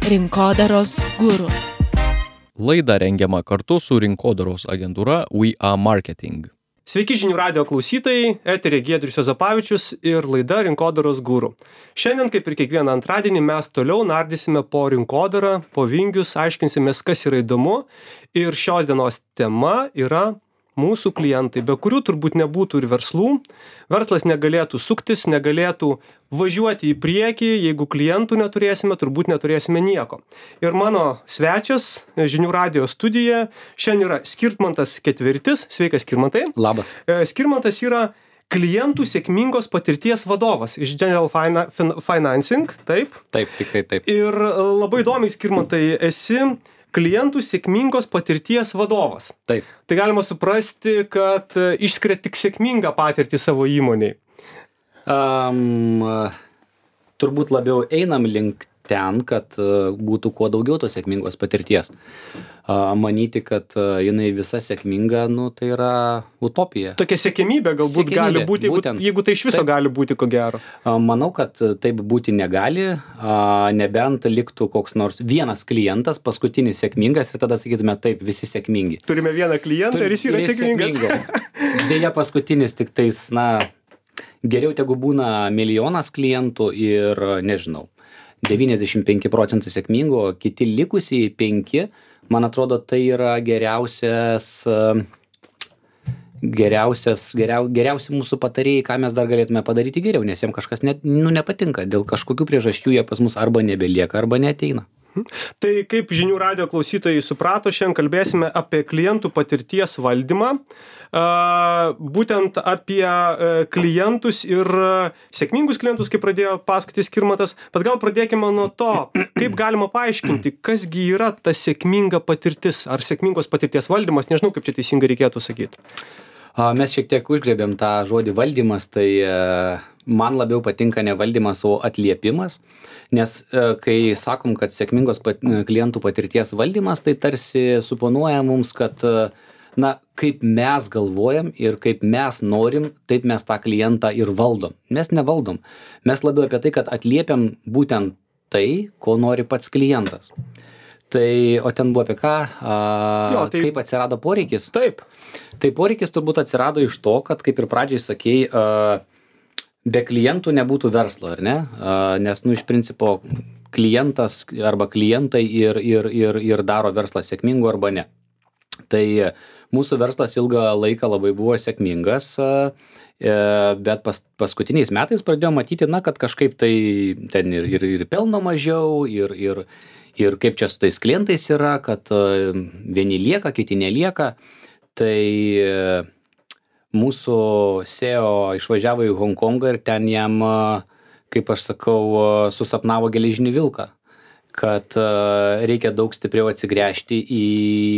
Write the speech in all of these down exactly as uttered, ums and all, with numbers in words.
Rinkodaros guru. Laida rengiama kartu su rinkodaros agentūra We Are Marketing. Sveiki žinių radijo klausytojai, eteryje Giedrius Juozapavičius ir laida Rinkodaros guru. Šiandien, kaip ir kiekvieną antradienį, mes toliau nardysime po rinkodarą, po vingius, aiškinsimės, kas yra įdomu. Ir šios dienos tema yra mūsų klientai, be kurių turbūt nebūtų ir verslų. Verslas negalėtų suktis, negalėtų važiuoti į priekį, jeigu klientų neturėsime, turbūt neturėsime nieko. Ir mano svečias žinių radijo studijoje šiandien yra Skirmantas Ketvirtis. Sveikas, Skirmantai. Labas. Skirmantas yra klientų sėkmingos patirties vadovas iš General Fina- Fin- Financing, taip? Taip, tikrai taip. Ir labai įdomiai, Skirmantai, esi klientų sėkmingos patirties vadovas. Taip. Tai galima suprasti, kad išskiria tik sėkmingą patirtį savo įmonėj. Um, turbūt labiau einam link ten, kad uh, būtų kuo daugiau tos sėkmingos patirties. Uh, manyti, kad uh, jinai visa sėkminga, nu, tai yra utopija. Tokia sėkmybė galbūt Siekiamybė, gali būti, jeigu, būtent. jeigu tai iš viso Taip. gali būti, ko gero. Uh, manau, kad taip būti negali, uh, nebent liktų koks nors vienas klientas, paskutinis sėkmingas ir tada sakytume taip, visi sėkmingi. Turime vieną klientą ir jis yra Ir sėkmingas. Deja, paskutinis tik tais, na, geriau tegu būna milijonas klientų ir, nežinau, devyniasdešimt penki procentai sėkmingų, o kiti likusiai penki, man atrodo, tai yra geriausias, geriausias, geriau, geriausi mūsų patarėjai, ką mes dar galėtume padaryti geriau, nes jiems kažkas net, nu, nepatinka, dėl kažkokių priežasčių jie pas mus arba nebelieka, arba neateina. Tai kaip žinių radijo klausytojai suprato, šiandien kalbėsime apie klientų patirties valdymą, būtent apie klientus ir sėkmingus klientus, kaip pradėjo pasakoti Skirmantas, bet gal pradėkime nuo to, kaip galima paaiškinti, kasgi yra ta sėkminga patirtis ar sėkmingos patirties valdymas, nežinau, kaip čia teisingai reikėtų sakyti. Mes šiek tiek užgrebėm tą žodį valdymas, tai man labiau patinka ne valdymas, o atliepimas, nes kai sakom, kad sėkmingos pat, klientų patirties valdymas, tai tarsi suponuoja mums, kad na, kaip mes galvojam ir kaip mes norim, taip mes tą klientą ir valdom. Mes nevaldom. Mes labiau apie tai, kad atliepiam būtent tai, ko nori pats klientas. Tai, o ten buvo apie ką, a, jo, tai, kaip atsirado poreikis? Taip. Tai poreikis turbūt atsirado iš to, kad, kaip ir pradžiai sakei, a, be klientų nebūtų verslo, ar ne? A, nes, nu, iš principo, klientas arba klientai ir, ir, ir, ir daro verslą sėkmingu arba ne. Tai mūsų verslas ilgą laiką labai buvo sėkmingas, a, e, bet pas, paskutiniais metais pradėjome matyti, na, kad kažkaip tai ten ir, ir, ir pelno mažiau, ir, ir, ir kaip čia su tais klientais yra, kad a, vieni lieka, kiti nelieka. Tai mūsų S E O išvažiavo į Honkongą ir ten jam, kaip aš sakau, susapnavo geležinį vilką, kad reikia daug stipriau atsigręžti į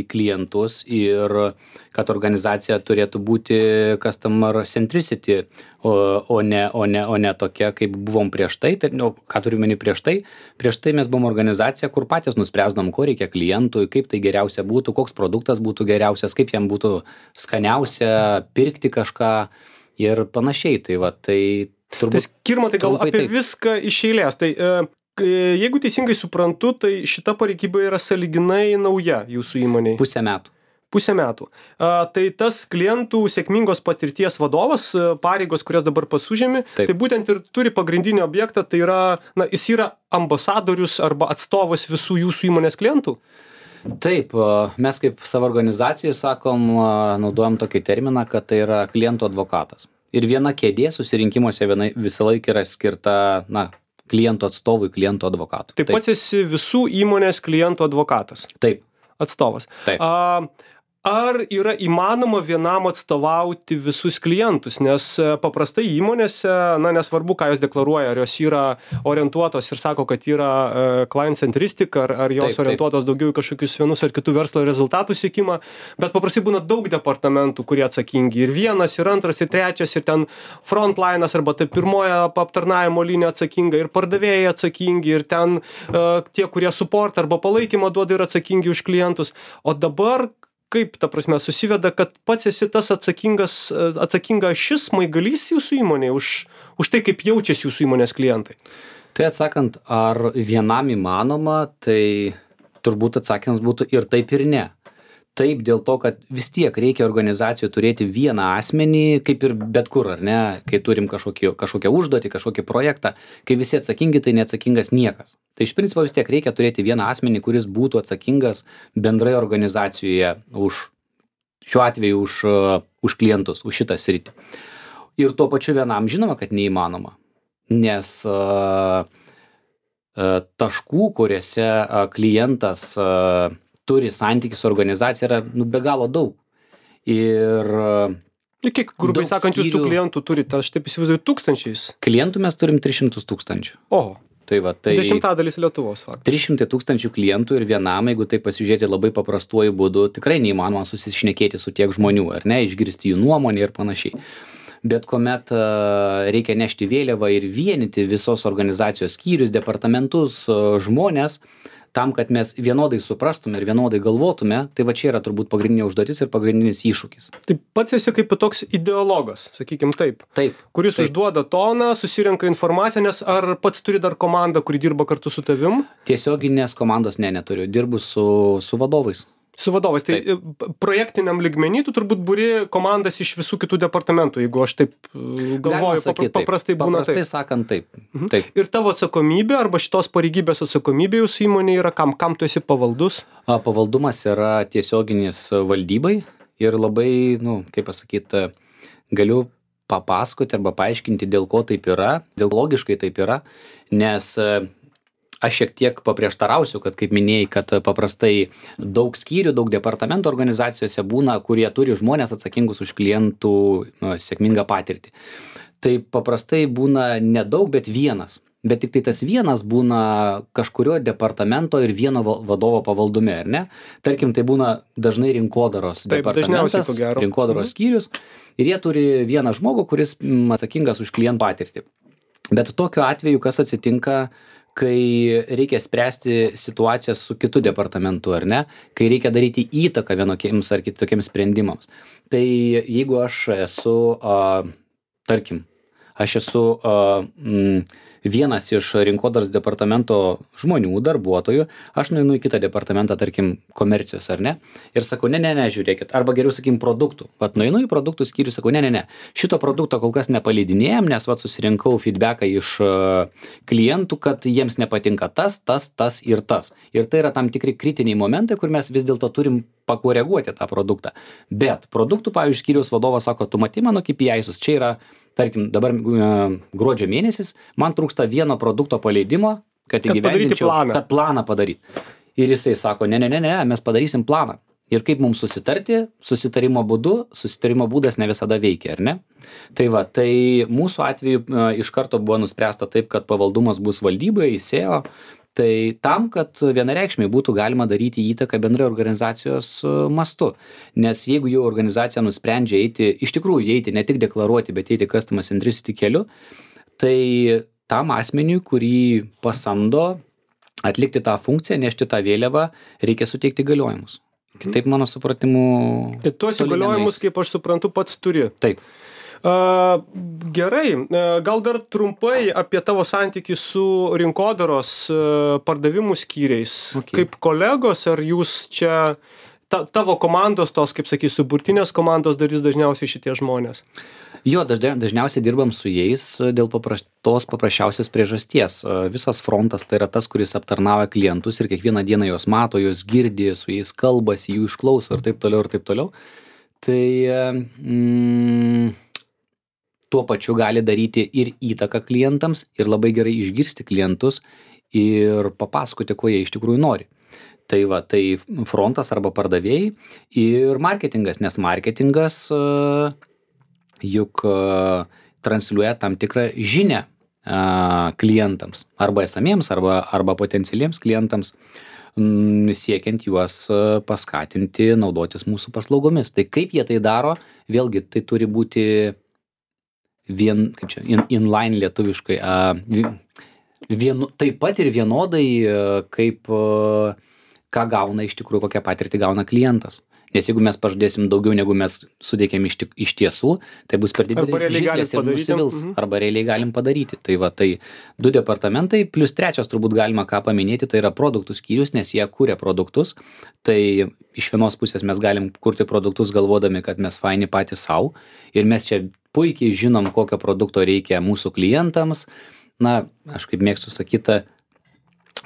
klientus ir kad organizacija turėtų būti customer centricity, o, o, ne, o, ne, o ne tokia, kaip buvom prieš tai. Tai nu, ką turiu meni prieš tai? Prieš tai mes buvom organizacija, kur patys nuspręsdom, ko reikia klientui, kaip tai geriausia būtų, koks produktas būtų geriausias, kaip jam būtų skaniausia pirkti kažką ir panašiai. Tai va, tai turbūt... Tai Skirmantai, gal apie taip. Viską iš eilės. Tai, e, jeigu teisingai suprantu, tai šita pareigyba yra sąlyginai nauja jūsų įmonėje. Pusę metų. Pusę metų. A, tai tas klientų sėkmingos patirties vadovas, pareigos, kurias dabar pasužėmi, tai būtent ir turi pagrindinį objektą, tai yra, na, jis yra ambasadorius arba atstovas visų jūsų įmonės klientų? Taip, mes kaip savo organizacijai sakom, naudojam tokį terminą, kad tai yra klientų advokatas. Ir viena kėdė susirinkimuose viena, visą laiką yra skirta, na, klientų atstovui, klientų advokatui. Taip, taip pats esi visų įmonės klientų advokatas. Taip. Atstovas. Taip. A, ar yra įmanoma vienam atstovauti visus klientus, nes paprastai įmonėse, na, nesvarbu, ką jos deklaruoja, ar jos yra orientuotos ir sako, kad yra client centristic, ar, ar jos taip, orientuotos taip. Daugiau į kažkokius vienus ar kitų verslo rezultatų siekimą, bet paprastai būna daug departamentų, kurie atsakingi. Ir vienas, ir antras, ir trečias, ir ten frontline'as, arba tai pirmoja aptarnavimo linija atsakinga, ir pardavėjai atsakingi, ir ten uh, tie, kurie support arba palaikymą duoda, yra atsakingi už klientus. O dabar kaip, ta prasme, susiveda, kad pats esi tas atsakingas, atsakinga šis smaigalys jūsų įmonėje už, už tai, kaip jaučiasi jūsų įmonės klientai? Tai atsakant, ar vienam įmanoma, tai turbūt atsakymas būtų ir taip ir ne. Taip, dėl to, kad vis tiek reikia organizacijų turėti vieną asmenį, kaip ir bet kur, ar ne, kai turim kažkokį, kažkokią užduotį, kažkokį projektą, kai visi atsakingi, tai neatsakingas niekas. Tai iš principo vis tiek reikia turėti vieną asmenį, kuris būtų atsakingas bendrai organizacijoje už, šiuo atveju už, už klientus, už šitą sritį. Ir tuo pačiu vienam žinoma, kad neįmanoma, nes uh, uh, taškų, kuriuose uh, klientas uh, turi santykį su organizacija yra nu, be galo daug. Ir Ir kiek, grubiai sakant, jūs tų klientų turite, aš taip įsivaizduoju, tūkstančiais? Klientų mes turim tris šimtus tūkstančių. Oho. Tai va, tai dešimtadalis Lietuvos faktas. trys šimtai tūkstančių klientų ir vienam, jeigu tai pasižiūrėti labai paprastuoju būdu, tikrai neįmanoma susišnekėti su tiek žmonių, ar ne, išgirsti jų nuomonę ir panašiai. Bet kuomet uh, reikia nešti vėliavą ir vienyti visos organizacijos skyrius, departamentus, uh, žmonės, tam, kad mes vienodai suprastume ir vienodai galvotume, tai va čia yra turbūt pagrindinė užduotis ir pagrindinis iššūkis. Tai pats esi kaip toks ideologas, sakykim taip. Taip. Kuris taip. užduoda toną, susirenka informaciją, nes ar pats turi dar komandą, kuri dirba kartu su tavim? Tiesioginės komandos ne, neturiu. Dirbu su, su vadovais. Su vadovais. Tai Taip. projektiniam lygmenį tu turbūt būri komandas iš visų kitų departamentų, jeigu aš taip galvoju, sakyt, papra, paprastai taip. būna paprastai taip. sakant taip. Mhm. taip. Ir tavo atsakomybė arba šitos pareigybės atsakomybė jūsų įmonė yra kam? Kam tu esi pavaldus? A, pavaldumas yra tiesioginis valdybai ir labai, nu, kaip pasakyti, galiu papasakoti arba paaiškinti, dėl ko taip yra, dėl logiškai taip yra, nes aš šiek tiek paprieštarausiu, kad kaip minėjai, kad paprastai daug skyrių, daug departamentų organizacijose būna, kurie turi žmonės atsakingus už klientų nu, sėkmingą patirtį. Tai paprastai būna nedaug, bet vienas. Bet tik tai tas vienas būna kažkurio departamento ir vieno vadovo pavaldume, ar ne? Tarkim, tai būna dažnai rinkodaros Taip, departamentas, rinkodaros mhm. skyrius ir jie turi vieną žmogų, kuris atsakingas už klientų patirtį. Bet tokiu atveju, kas atsitinka, kai reikia spręsti situacijas su kitu departamentu, ar ne, kai reikia daryti įtaką vienokiems ar kitokiems sprendimams. Tai jeigu aš esu, a, tarkim, aš esu a, m, vienas iš rinkodaros departamento žmonių, darbuotojų, aš nueinu į kitą departamentą, tarkim, komercijos, ar ne, ir sakau, ne, ne, ne, žiūrėkit, arba geriau, sakykim, produktų. Vat nueinu į produktų skyrių, sakau, ne, ne, ne, šito produkto kol kas nepaleidinėjam, nes vat susirinkau feedbacką iš uh, klientų, kad jiems nepatinka tas, tas, tas ir tas. Ir tai yra tam tikri kritiniai momentai, kur mes vis dėlto turim pakoreguoti tą produktą. Bet produktų, pavyzdžiui, skyriaus vadovas sako, tu matai mano K P I-sus, čia yra tarkim, dabar gruodžio mėnesis, man trūksta vieno produkto paleidimo, kad įgyvendinčiau, planą. kad planą padaryti. Ir jisai sako, ne, ne, ne, ne, mes padarysim planą. Ir kaip mums susitarti, susitarimo būdu, susitarimo būdas ne visada veikia, ar ne? Tai va, tai mūsų atveju iš karto buvo nuspręsta taip, kad pavaldumas bus valdybai, S E O. Tai tam, kad vienareikšmiai būtų galima daryti įtaką bendrai organizacijos mastu. Nes jeigu jau organizacija nusprendžia eiti, iš tikrųjų eiti, ne tik deklaruoti, bet eiti customer centricity keliu, tai tam asmeniui, kurį pasamdo atlikti tą funkciją, nešti tą vėliavą, reikia suteikti galiojimus. Kitaip mano supratimu... Tai tuos įgaliojimus, kaip aš suprantu, pats turi. Taip. Uh, gerai, uh, gal dar trumpai apie tavo santykį su rinkodaros uh, pardavimų skyriais. Okay. Kaip kolegos, ar jūs čia, ta, tavo komandos, tos, kaip sakysiu, burtinės komandos darys dažniausiai šitie žmonės? Jo, dažniausiai dirbam su jais dėl paprastos paprasčiausios priežasties. Visas frontas tai yra tas, kuris aptarnauja klientus ir kiekvieną dieną juos mato, juos girdi, su jais kalbasi, jų išklauso ir taip toliau ir taip toliau. Tai... Mm, tuo pačiu gali daryti ir įtaką klientams ir labai gerai išgirsti klientus ir papasakoti, ko jie iš tikrųjų nori. Tai va, tai frontas arba pardavėjai ir marketingas, nes marketingas uh, juk uh, transliuoja tam tikrą žinią uh, klientams, arba esamiems, arba, arba potencialiems klientams, m, siekiant juos uh, paskatinti naudotis mūsų paslaugomis. Tai kaip jie tai daro, vėlgi tai turi būti vien, kaip čia, in, inline lietuviškai, uh, vien, taip pat ir vienodai, uh, kaip uh, ką gauna iš tikrųjų, kokią patirtį gauna klientas. Nes jeigu mes pažadėsim daugiau, negu mes suteikėm iš, tik, iš tiesų, tai bus per Arba realiai didelis galim žirklės ir padaryti. nusivils. Mhm. Arba realiai galim padaryti. Tai va, tai du departamentai, plus trečias turbūt galima ką paminėti, tai yra produktų skyrius, nes jie kūrė produktus. Tai iš vienos pusės mes galim kurti produktus galvodami, kad mes faini patys savo. Ir mes čia puikiai žinom, kokio produkto reikia mūsų klientams. Na, aš kaip mėgstu sakyti,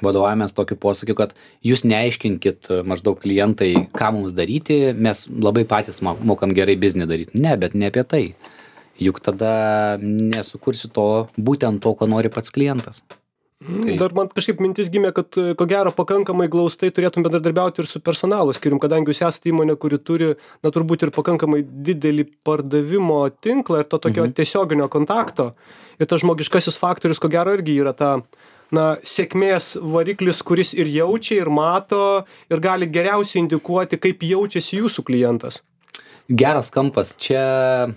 vadovaujamės tokiu posakiu, kad jūs neaiškinkit maždaug klientai, ką mums daryti, mes labai patys mokam gerai biznį daryti. Ne, bet ne apie tai. Juk tada nesukursi to, būtent to, ko nori pats klientas. Tai... Dar man kažkaip mintis gimė, kad ko gero pakankamai glaustai turėtum bendradarbiauti ir su personalo skyrium, kadangi jūs esate įmonė, kuri turi, na turbūt ir pakankamai didelį pardavimo tinklą ir to tokio mhm. tiesioginio kontakto. Ir tas žmogiškasis faktorius, ko gero, irgi yra ta na, sėkmės variklis, kuris ir jaučia, ir mato, ir gali geriausiai indikuoti, kaip jaučiasi jūsų klientas. Geras kampas. Čia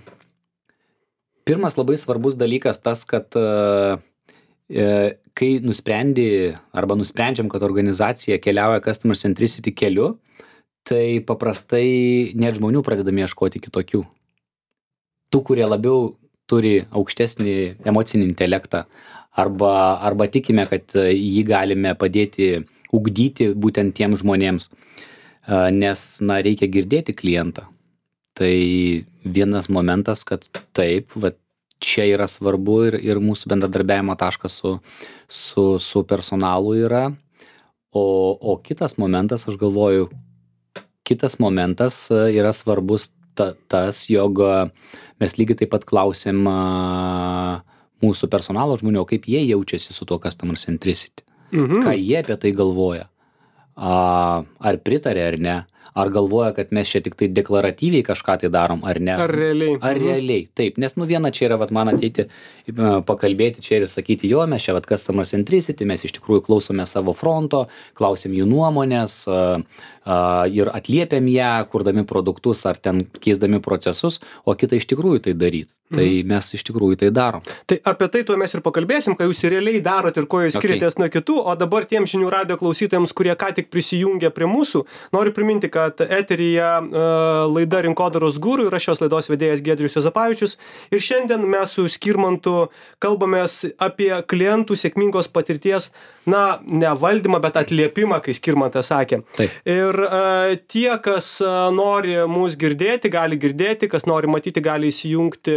pirmas labai svarbus dalykas tas, kad e, kai nusprendi arba nusprendžiam, kad organizacija keliauja customer centricity keliu, tai paprastai net žmonių pradedame ieškoti kitokių. Tų, kurie labiau turi aukštesnį emocinį intelektą, arba, arba tikime, kad jį galime padėti ugdyti būtent tiems žmonėms, nes, na, reikia girdėti klientą. Tai vienas momentas, kad taip, va, čia yra svarbu ir, ir mūsų bendradarbiavimo taškas su, su, su personalu yra, o, o kitas momentas, aš galvoju, kitas momentas yra svarbus ta, tas, jog mes lygiai taip pat klausėm mūsų personalo žmonių, kaip jie jaučiasi su tuo customer centricity. Mhm. Ką jie apie tai galvoja. A, ar pritarė ar ne. Ar galvoja, kad mes čia tik tai deklaratyviai kažką tai darom, ar ne. Ar realiai. Ar realiai. Taip, nes nu viena čia yra, vat, man ateiti, pakalbėti čia ir sakyti, jo, mes čia vat customer centricity, mes iš tikrųjų klausome savo fronto, klausim jų nuomonės a, a, ir atliepiam ją, kurdami produktus ar ten keisdami procesus, o kita iš tikrųjų tai daryti. Tai mhm. mes iš tikrųjų tai darom. Tai apie tai tuo mes ir pakalbėsim, ką jūs realiai darot ir ko jūs skiriatės okay. nuo kitų, o dabar tiem žinių radijo klausytojams, kurie ką tik prisijungė prie mūsų, noriu priminti, kad eteryje uh, laida Rinkodaros guru ir aš šios laidos vedėjas Giedrius Juozapavičius ir šiandien mes su Skirmantu kalbamės apie klientų sėkmingos patirties, na, ne valdymą, bet atliepimą, kai Skirmantas sakė. Taip. Ir uh, tie, kas uh, nori mūsų girdėti, gali girdėti, kas nori matyti, gali įsijungti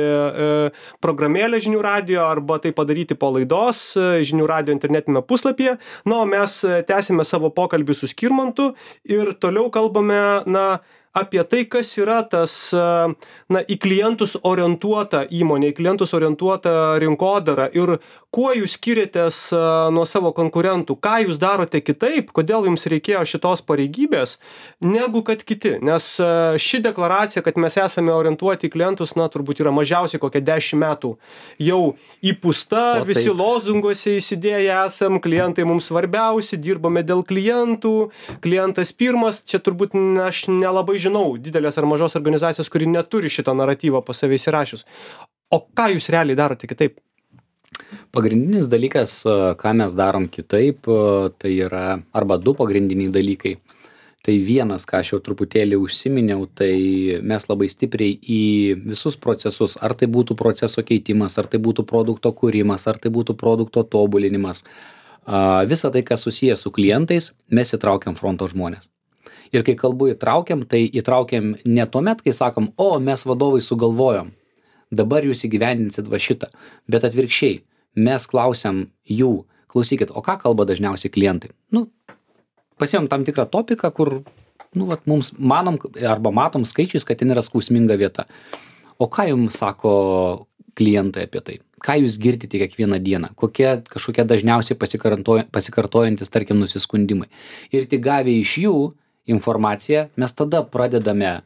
programėlę žinių radijo arba tai padaryti po laidos žinių radijo internetinėme puslapyje. Na, o mes tęsime savo pokalbį su Skirmantu ir toliau kalbame, na, apie tai, kas yra tas, na, į klientus orientuota įmonė, į klientus orientuota rinkodara ir kuo jūs skiriatės nuo savo konkurentų, ką jūs darote kitaip, kodėl jums reikėjo šitos pareigybės, negu kad kiti. Nes ši deklaracija, kad mes esame orientuoti į klientus, na, turbūt yra mažiausiai kokie dešimt metų jau įpūsta, o, visi taip. Lozunguose įsidėję esam, klientai mums svarbiausi, dirbame dėl klientų, klientas pirmas, čia turbūt aš nelabai žinau didelės ar mažos organizacijos, kuri neturi šito naratyvo pas save įsirašius. O ką jūs realiai darote kitaip? Pagrindinis dalykas, ką mes darom kitaip, tai yra arba du pagrindiniai dalykai. Tai vienas, ką aš jau truputėlį užsiminiau, tai mes labai stipriai į visus procesus, ar tai būtų proceso keitimas, ar tai būtų produkto kūrimas, ar tai būtų produkto tobulinimas, visą tai, kas susijęs su klientais, mes įtraukiam fronto žmonės. Ir kai kalbu įtraukiam, tai įtraukiam ne tuomet, kai sakom, o mes vadovai sugalvojom, dabar jūs įgyvendinsit va šitą, bet atvirkščiai, mes klausiam jų, klausykit, o ką kalba dažniausiai klientai? Nu, pasiėm tam tikrą topiką, kur, nu, vat, mums manom arba matom skaičiais, kad ten yra skausminga vieta. O ką jums sako klientai apie tai? Ką jūs girdite kiekvieną dieną? Kokie kažkokie dažniausiai pasikartojantis, tarkim, nusiskundimai? Ir tik gavę iš jų informaciją, mes tada pradedame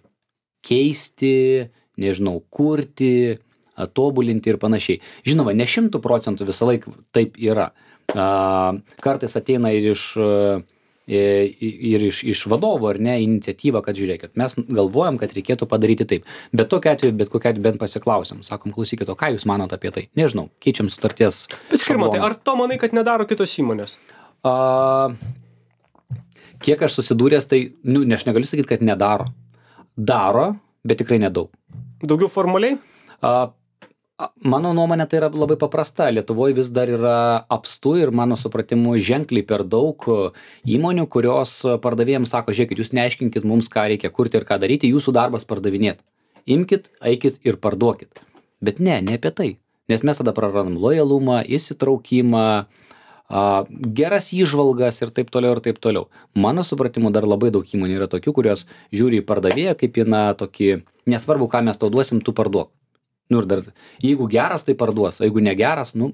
keisti, nežinau, kurti, tobulinti ir panašiai. Žinoma, ne šimtų procentų visą laiką taip yra. Kartais ateina ir iš, ir iš, iš vadovo, ar ne, iniciatyva, kad žiūrėkit, mes galvojam, kad reikėtų padaryti taip. Bet tokiu atveju, bet kokiu atveju bent pasiklausim. Sakom, klausykit, o ką jūs manot apie tai? Nežinau, keičiam sutarties. Bet Skirmantai, ar to manai, kad nedaro kitos įmonės? A, kiek aš susidūręs, tai, nu, ne, aš negaliu sakyti, kad nedaro. Daro, bet tikrai nedaug. Daugiau formaliai? A, a, mano nuomonė tai yra labai paprasta. Lietuvoje vis dar yra apstu ir mano supratimu ženkliai per daug įmonių, kurios pardavėjams sako, žiūrėkit, jūs neaiškinkit mums, ką reikia kurti ir ką daryti, jūsų darbas pardavinėti. Imkit, eikit ir parduokit. Bet ne, ne apie tai. Nes mes tada prarandam lojalumą, įsitraukimą, a, geras įžvalgas ir taip toliau ir taip toliau. Mano supratimu dar labai daug įmonių yra tokių, kurios žiūri į pardavėją kaip į na tokį, nesvarbu, ką mes tau duosim, tu parduok. Nu ir dar, jeigu geras, tai parduos, o jeigu negeras, nu,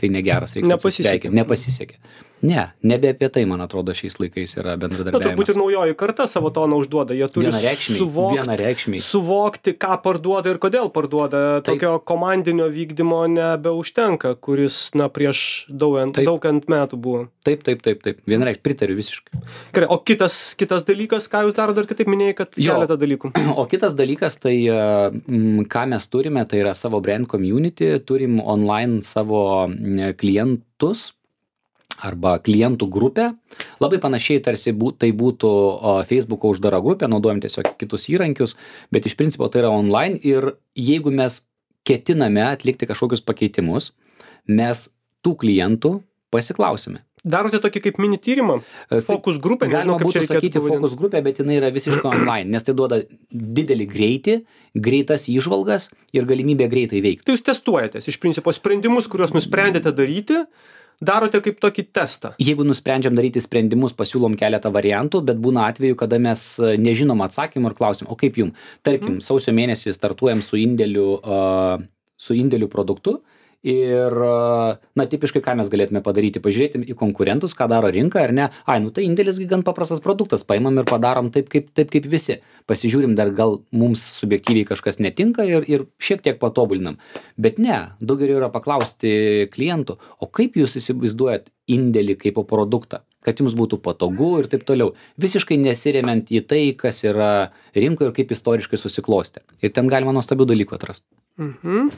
tai negeras, reikia atsisveikinti. Nepasisekė. Ne, nebe apie tai, man atrodo, šiais laikais yra Na, bendradarbiavimas. turbūt ir naujoji karta savo toną užduoda. Jie turi Vienareikšmiai, suvokti, vienareikšmiai. suvokti, ką parduoda ir kodėl parduoda. Taip. Tokio komandinio vykdymo nebeužtenka, kuris, na, prieš daug, Taip. daug ant metų buvo. Taip, taip, taip, taip. Vienareikšmiai, pritariu visiškai. Gerai, o kitas, kitas dalykas, ką jūs daro, dar kitaip minėjai, kad Jo. keletą dalykų. O kitas dalykas, tai m, ką mes turime, tai yra savo brand community, turim online savo m, klientus arba klientų grupę. Labai panašiai tarsi bū, tai būtų o, Facebook'o uždara grupė, naudojam tiesiog kitus įrankius, bet iš principo tai yra online ir jeigu mes ketiname atlikti kažkokius pakeitimus, mes tų klientų pasiklausime. Darote tokį kaip mini tyrimą? Tai Fokus grupė? Galima nežinau, kaip čia būtų reikėtų sakyti pavadint. fokus grupė, bet jinai yra visiškai online, nes tai duoda didelį greitį, greitas įžvalgas ir galimybę greitai veikti. Tai jūs testuojatės, iš principo, sprendimus, kuriuos nusprendėte daryti, darote kaip tokį testą. Jeigu nusprendžiam daryti sprendimus, pasiūlom keletą variantų, bet būna atveju, kada mes e, nežinom atsakymų ir klausim, o kaip jum? Tarkim, sausio mėnesį startuojam su indėliu, uh, su indėliu produktu ir, uh, na, tipiškai, ką mes galėtume padaryti, pažiūrėti į konkurentus, ką daro rinka, ar ne? Ai, nu tai indėlis gi gan paprastas produktas, paimam ir padarom taip kaip, taip kaip visi. Pasižiūrim, dar gal mums subjektyviai kažkas netinka ir, ir šiek tiek patobulinam. Bet ne, daug geriau yra paklausti klientų, o kaip jūs įsivaizduojat indėlį kaip produktą, kad jums būtų patogu ir taip toliau. Visiškai nesiremiant į tai, kas yra rinkoje ir kaip istoriškai susiklostė. Ir ten galima nuostabių dalykų atrasti. Mhm.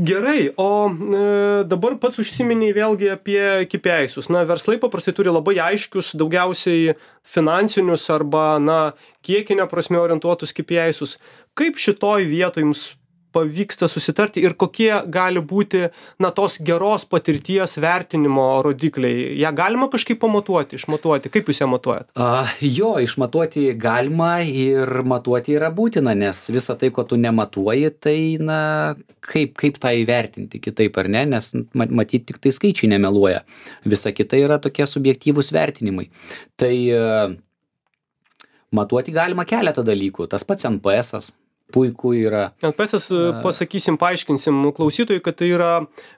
Gerai, o e, dabar pats užsiminiai vėlgi apie K P I-sus. Na, verslai paprastai turi labai aiškius, daugiausiai finansinius arba, na, kiekinio prasme orientuotus K P I-sus. Kaip šitoj vietoj jums pavyksta susitarti ir kokie gali būti, na, tos geros patirties vertinimo rodikliai? Ja galima kažkaip pamatuoti, išmatuoti? Kaip jūs ją matuojat? A, jo, išmatuoti galima ir matuoti yra būtina, nes visa tai, ko tu nematuoji, tai, na, kaip, kaip tą įvertinti kitaip ar ne, nes matyti tik tai skaičiai nemeluoja. Visa kita yra tokie subjektyvūs vertinimai. Tai uh, matuoti galima keletą dalykų. Tas pats N P S-as. Puiku yra. N P S-as, pasakysim, paaiškinsim klausytojui, kad tai yra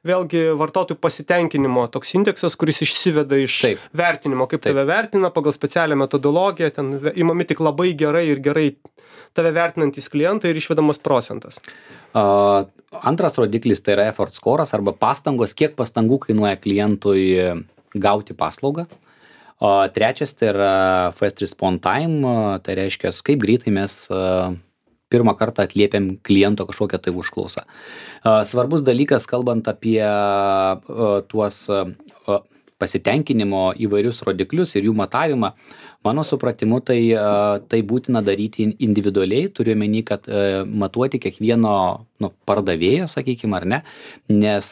vėlgi vartotojų pasitenkinimo toks indeksas, kuris išsiveda iš Taip. vertinimo, kaip Taip. tave vertina pagal specialią metodologiją, ten imami tik labai gerai ir gerai tave vertinantys klientai ir išvedamas procentas. Uh, antras rodiklis tai yra effort score'as arba pastangos, kiek pastangų kainuoja klientui gauti paslaugą. O trečias tai yra first response time, tai reiškia, kaip greitai mes uh, pirmą kartą atliepiam kliento kažkokią tai užklausą. Svarbus dalykas, kalbant apie tuos pasitenkinimo įvairius rodiklius ir jų matavimą, mano supratimu, tai, tai būtina daryti individualiai, turiu omeny, kad matuoti kiekvieno nu, pardavėjo, sakykime, ar ne, nes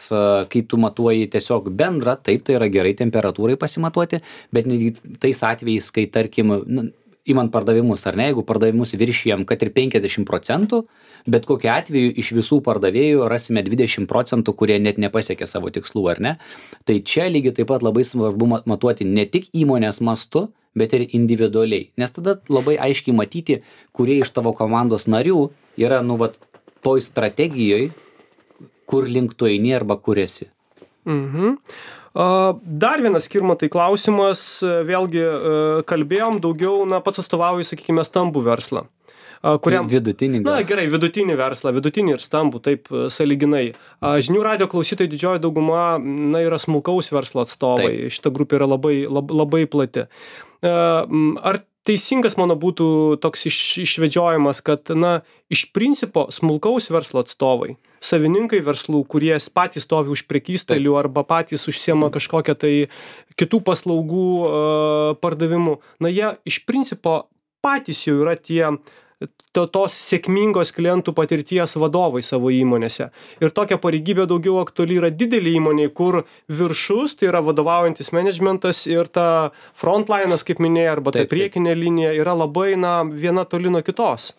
kai tu matuoji tiesiog bendrą, taip, tai yra gerai temperatūrai pasimatuoti, bet tais atvejais, kai tarkim, nu, imant pardavimus, ar ne, jeigu pardavimus viršijam, kad ir penkiasdešimt procentų, bet kokiu atveju iš visų pardavėjų rasime dvidešimt procentų, kurie net nepasiekė savo tikslų, ar ne. Tai čia lygiai taip pat labai svarbu matuoti ne tik įmonės mastu, bet ir individualiai, nes tada labai aiškiai matyti, kurie iš tavo komandos narių yra, nu, vat, toj strategijoj, kur link tu eini arba kur esi. Mhm. Dar vienas, Skirmantai, klausimas, vėlgi kalbėjom daugiau, na, pats atstovauji, sakykime, stambų verslą. Kuriam, vidutinį. Na, gerai, vidutinį verslą, vidutinį ir stambų, taip, sąlyginai. Žinių radio klausytojai didžioji dauguma, na, yra smulkaus verslo atstovai. Taip. Šita grupė yra labai, labai, labai plati. Ar teisingas mano būtų toks iš, išvedžiojimas, kad, na, iš principo smulkaus verslo atstovai, savininkai verslų, kurie patys stovi už prekystalių arba patys užsiema kažkokią tai kitų paslaugų uh, pardavimu, na, jie iš principo patys jau yra tie to, tos sėkmingos klientų patirties vadovai savo įmonėse. Ir tokia pareigybė daugiau aktuali yra didelė įmonė, kur viršus, tai yra vadovaujantis managementas ir ta frontlinas, kaip minėjai, arba ta priekinė linija yra labai, na, viena toli nuo kitos.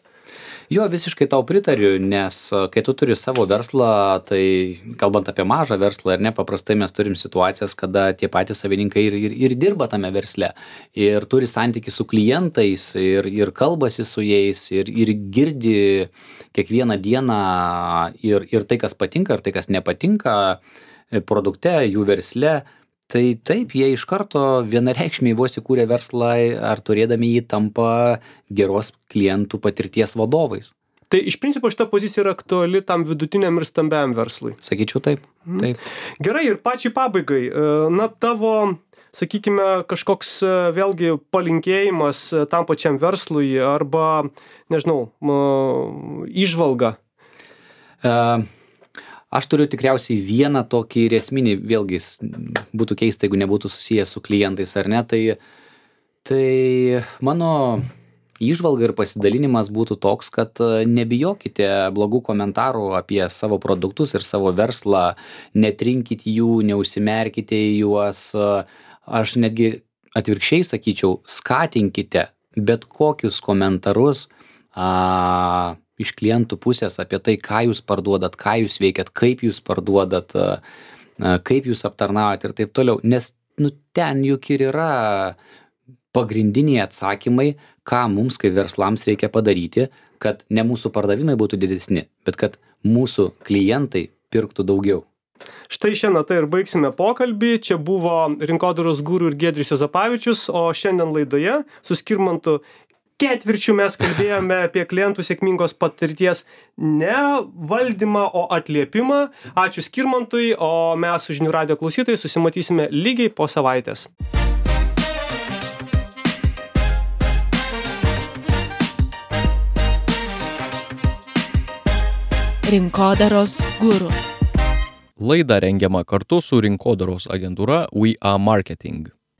Jo, visiškai tau pritariu, nes kai tu turi savo verslą, tai kalbant apie mažą verslą ir ne, paprastai mes turim situacijas, kada tie patys savininkai ir, ir, ir dirba tame versle ir turi santykį su klientais ir, ir kalbasi su jais ir, ir girdi kiekvieną dieną ir, ir tai, kas patinka, ir tai, kas nepatinka produkte, jų versle. Tai taip, jie iš karto vienareikšmiai vos įkūrė verslą ar turėdami jį tampa geros klientų patirties vadovais. Tai iš principo šita pozicija yra aktuali tam vidutiniam ir stambiam verslui. Sakyčiau taip. taip. Gerai, ir pačiai pabaigai, na tavo, sakykime, kažkoks vėlgi palinkėjimas tam pačiam verslui arba, nežinau, įžvalga. Uh, Aš turiu tikriausiai vieną tokį ir esminį, vėlgi būtų keista, jeigu nebūtų susijęs su klientais ar ne, tai, tai mano įžvalga ir pasidalinimas būtų toks, kad nebijokite blogų komentarų apie savo produktus ir savo verslą, netrinkit jų, neužsimerkite į juos, aš netgi atvirkščiai sakyčiau, skatinkite bet kokius komentarus, a, iš klientų pusės apie tai, ką jūs parduodat, ką jūs veikiat, kaip jūs parduodat, kaip jūs aptarnaujat ir taip toliau. Nes nu, ten juk ir yra pagrindiniai atsakymai, ką mums kaip verslams reikia padaryti, kad ne mūsų pardavimai būtų didesni, bet kad mūsų klientai pirktų daugiau. Štai šiandien tai ir baigsime pokalbį. Čia buvo rinkodaros guru ir Giedrius Juozapavičius, o šiandien laidoje su Skirmantu ketvirčių mes kalbėjome apie klientų sėkmingos patirties ne valdymą, o atliepimą. Ačiū Skirmantui, o mes su Žinių radijo klausytojai susimatysime lygiai po savaitės. Rinkodaros guru. Laida rengiama kartu su rinkodaros agentūra We Are Marketing.